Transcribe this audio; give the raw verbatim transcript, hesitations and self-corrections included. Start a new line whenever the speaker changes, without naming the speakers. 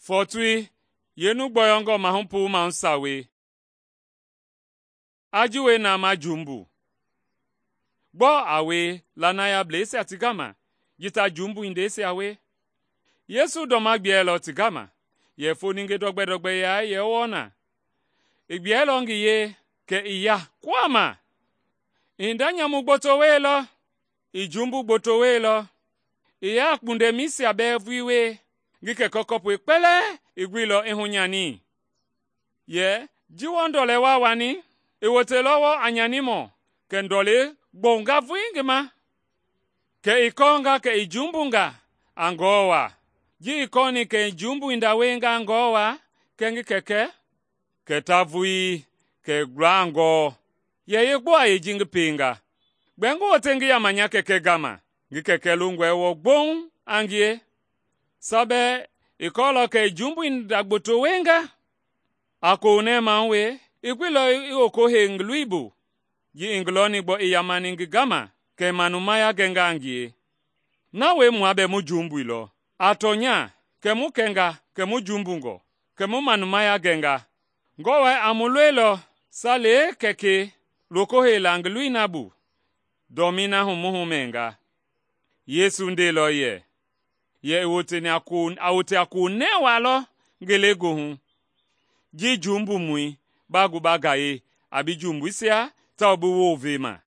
Fɔɔtoi yeenu gbɔyɔngɔ mahu puu mahu sawei. A ji wie na ma jumbu. Gbɔɔ a wie lanayableisia ti gama ji ta jumbu hindeisia wie? Yesu ndɔma gbiɛlɔ ti gama yɛ foni ngi dɔgbɛ-dɔgbɛya yɛ wɔɔ na. I gbiɛlɔ ngi yee kɛ i ya kuhama. I hinda nyamu gboto wielɔ, i jumbu gboto wielɔ, i ya a kpundɛmɛisia bɛɛ vulii wie, ngi kɛkɛ kɔpui kpɛlɛɛ i guilɔ i hunyani. Yɛ ji wɔɔ ndɔlɛ wa wani? I woteilɔ wɔɔ a nyanimɔ kɛ ndɔlei gbɔwunga vulii ngi ma. Kɛ i kɔɔnga kɛ i jumbunga a Ngewɔ wa. Ji i kɔɔni kɛ i jumbu hinda wienga a Ngewɔ wa kɛɛ ngi kɛkɛ, kɛ ta vulii kɛ i gula a Ngewɔ. Yɛ yeegbɔɔ a yee ji ngi pienga? Gbɛɛ ngi wote ngi yama nya kɛkɛ gama, ngi kɛkɛ longɔe wɔɔ gboŋ a ngie? Sa bɛɛ i kɔɔlɔ kɛ i jumbu hinda gboto wienga. A kohunɛ mahu wie, i guilɔ i woko hei ngi loi bu. Ji i ngi lɔni gbɔ i yamani ngi gama, kɛ i manumaya gɛnga a ngie. Na wie mua bɛɛ mu jumbuilɔ. A tɔnya kɛ mu kɛnga kɛ mu jumbungɔ, kɛ mu manumaya gɛnga. Ngewɔ a mu loilɔ sa lee Kɛkɛi loko heila ngi loi na bu, dɔmii na hu mu humɛnga. Yesu ndeilɔ yɛ, yɛ i woteni a ko a wote a kohunɛ waa lɔ ngelegoohu. Ji jumbumɔi ba gu ba gayei a bi jumbuisia tawao bi wounvema.